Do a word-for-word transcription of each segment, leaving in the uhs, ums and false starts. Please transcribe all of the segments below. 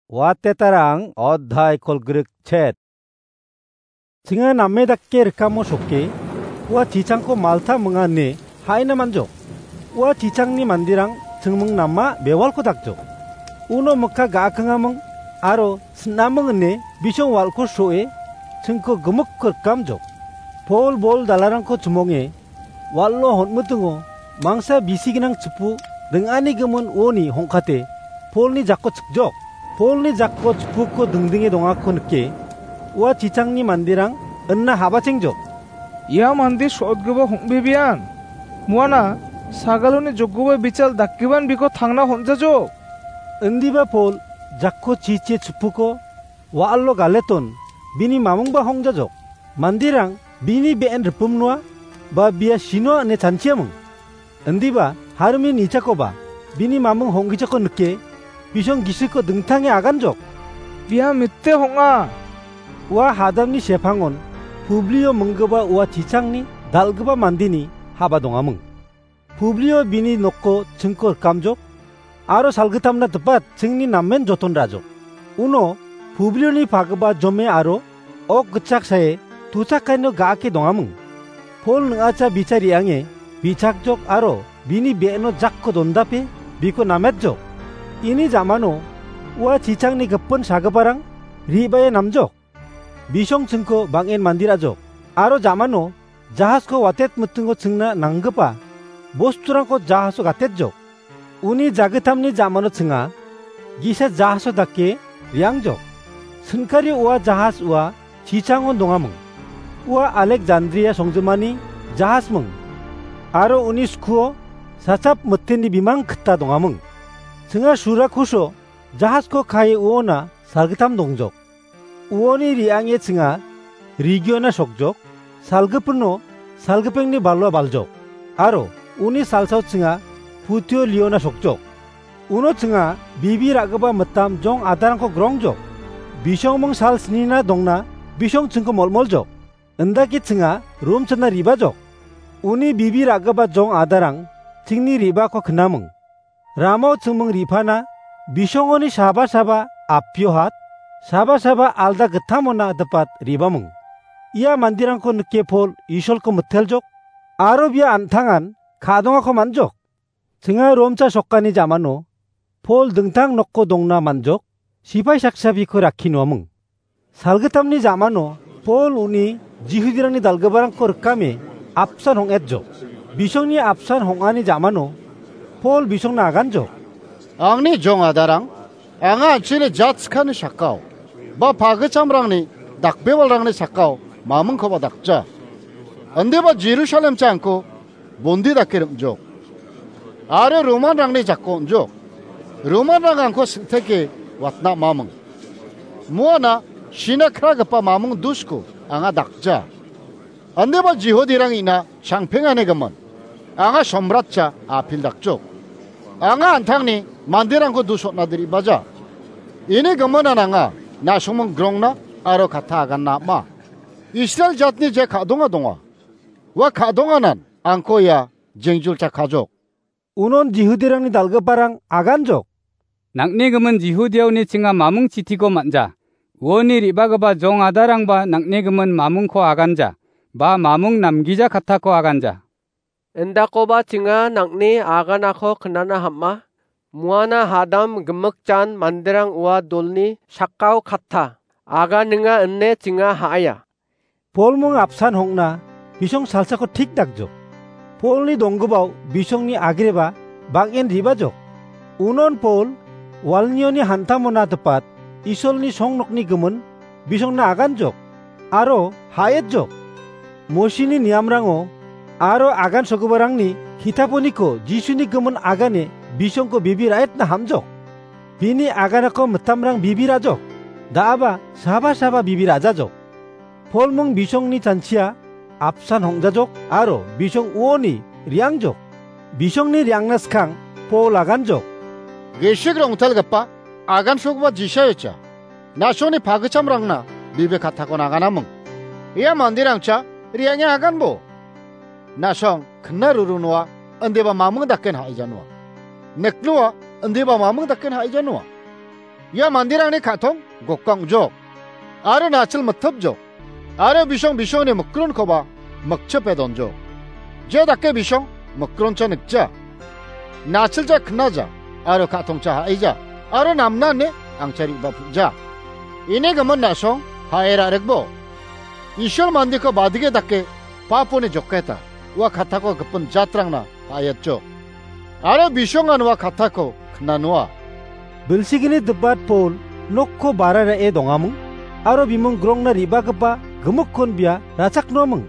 Watetarang odhai kolgrik chet. Chinga name dakke rikamo sokke, ua chichangko Malta minga ine haina manjok. Ua chichangni mandirang chingming nama bewalko dakjok. Uno mikka ga·akangaming aro sinaming ine bisong walko so·e chingko gimikko rikamjok. Pol bol dalarangko chimonge wal·o hon·mitingo mangsa bisi gnang chipu ring·ani gimin uoni hong·kate Polni jakko chikjok. Polni jakko chipuko dingdinge dongako nike ua chichangni manderang inna habachengjok. Ia mande so·otgipa hong·bebean. Muana sagaloni jokgipa bichal dakgipan biko tangna hon·jajok. Indiba Pol jakko chichie chipuko wa·alo galeton bini mamingba hongjajok. Manderang bini be·en ripimnoa ba bia sinoa ine chanchiaming. Indiba harimi nichakoba bini maming honggijako nike bisong gisiko dingtange aganjok. Bia mite hong·a. Ua hadamni sepangon Publio minggipa ua chichangni dal·gipa mandeni haba dongaming. Publio bini nokko chingko rikamjok, aro salgittamna dipat chingni namen joton ra·jok. Uno Publioni pagipa jome aro ok gitchak sae tuchakaino ga·ake dongaming. Pol ning·acha bichari ange bichakjok aro bini be·eno jakko dondape biko nametjok. Ini jamano ua chichangni gipin sagiparang re·bae namjok. Bisong chingko bang·en mande ra·jok. Aro jamano jahasko watet mitingo chingna nanggipa bosturangko jahaso gatetjok. Uni jagitamni jamano chinga gisa jahaso dake re·angjok. Sinkario ua jahas ua chichangon dongaming. Ua Alekjandria songjimani jahasming. Aro uni skuo sachap miteni bimang gita dongaming. Chinga sura kuso jahasko kae uona salgittam dongjok. Uoni re·ange chinga regiona sokjok, salgipino salgipengni balwa baljok, aro uni salsao chinga Putio Leona sokjok. Uno chinga bibi ra·gipa mitam jong adarangko grongjok. Bisongming sal snina dongna bisong chingko molmoljok. Indake chinga rum china re·bajok. Uni bibi ra·gipa jong adarang chingni re·bako knaming. Ramao chingming re·pana bisongoni saba saba apio hat, saba saba alda gittamona dipat re·baming. Ia manderangko nike Pol Isolko miteljok, aro bia an·tangan ka·dongako man·jok. Chinga Romcha sokani jamano Pol dingtang nokko dongna man·jok, sipai saksa biko rakki noaming. Salgittamni jamano Pol uni Jihudirangni dal·giparangko rikame apsan hong·etjok. Bisongni apsan hong·ani jamano Pol bisongna aganjok. Angni jong adarang, anga an·chingni jat skani sakao, ba pagichamrangni dakbewalrangni sakao mamingkoba dakja. Indiba Jerusalemcha angko bondi dake rim·jok. Aro Romanrangni jako on·jok. Romanrang angko sing·teke watna maming. Muana sina kragipa maming dusko anga dakja. Indiba Jihudirang ina changpengani gimin. Anga somratcha apil dakjok. Anga an·tangni manderangko dus on·na diribaja. Ini giminan anga na·songming grongna aro katta aganna am·a. Israel jatni je ka·donga donga. Ua ka·donganan angko ia jengjul chakajok. Unon Jihudirangni dal·giparang aganjok. Nang·ni gimin Jihudiaoni chinga mamung chitiko man·ja. Uoni re·bagipa jong adarangba nang·ni gimin mamungko aganja, ba mamung namgija kattako aganja. Indakoba chinga nang·ni aganako knana ham·a. Muana hadam gimikjan manderang ua dolni sakao katta. Aganinga ine chinga ha·aia. Polmung apsan hong·na bisong salsako thik dakjok. Polni donggipao bisongni agreba bang·en ribajok. Unon Pol walnioni hantamona dipat Isolni songnokni gimin bisongna aganjok aro ha·etjok. Mosini niamrango aro agan sogiparangni kitaponiko Jisuni gimin agane bisongko bibi ra·etna hamjok. Bini aganako mitamrang bibi ra·jok. Da·aba saba saba bibi ra·jajok. Polmung bisongni chanchia apsan hong·jajok aro bisong uoni re·angjok. Bisongni re·angna skang Pol aganjok. Gisik rongtalgipa agansogipa Jisaiocha, na·songni pagichamrangna bibi kattakon aganaming. Ia manderangcha re·ange aganbo. Na·song kna ruru noa, indiba mamung daken ha·ija noa. Nek noa, indiba mamung daken ha·ija noa. Ia manderangni ka·tong gokang ong·jok, aro nachil mitipjok, aro bisong bisongni mikronkoba mikchipe donjok. Je dake bisong mikroncha nikja, nachilcha knaja, aro ka·tongcha ha·eja, aro namnane angcha re·bapja. Ini gimin na·song ha·e ra·rikbo. Isol mandeko badige dake paponi joketa, ua katako gipin jatrangna ha·aiatjok. Aro bisongan ua katako knanoa. Bilsigini dibat Pol nokko bara ra·e dongaming, aro bimung grongna re·bagipa gimikkon bia rachaknoming.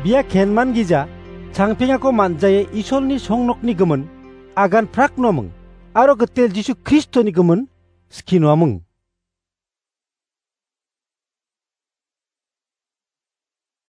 Bia kenman gija, changpengako man·jae Isolni songnokni gimin agan praknoming, aro gitel Jisu Kristoni gimin skinoaming.